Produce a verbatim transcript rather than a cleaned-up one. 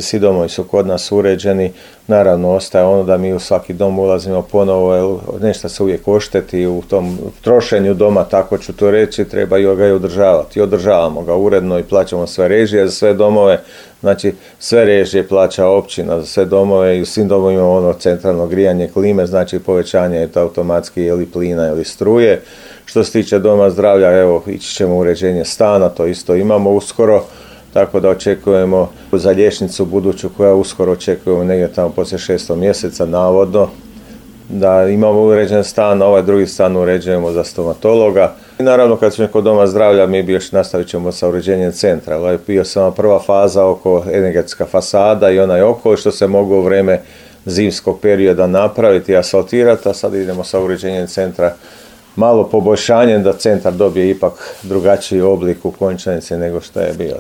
Svi domovi su kod nas uređeni, naravno ostaje ono da mi u svaki dom ulazimo ponovo, jer nešto se uvijek ošteti u tom trošenju doma, tako ću to reći, treba ga i održavati. I održavamo ga uredno i plaćamo sve režije za sve domove, znači sve režije plaća općina za sve domove i u svim domovima ono centralno grijanje klime, znači povećanje je to automatski ili plina ili struje. Što se tiče doma zdravlja, evo ići ćemo u uređenje stana, to isto imamo uskoro. Tako da očekujemo za liječnicu buduću koja uskoro očekujemo negdje tamo poslije šestog mjeseca navodno da imamo uređen stan, a ovaj drugi stan uređujemo za stomatologa. I naravno kad smo kod doma zdravlja mi bi još nastavit ćemo sa uređenjem centra. Ovo je bio samo prva faza oko energetska fasada i onaj okolo što se mogu u vrijeme zimskog perioda napraviti i asfaltirati, a sad idemo sa uređenjem centra. Malo poboljšanjem da centar dobije ipak drugačiji oblik u konačnici nego što je bio.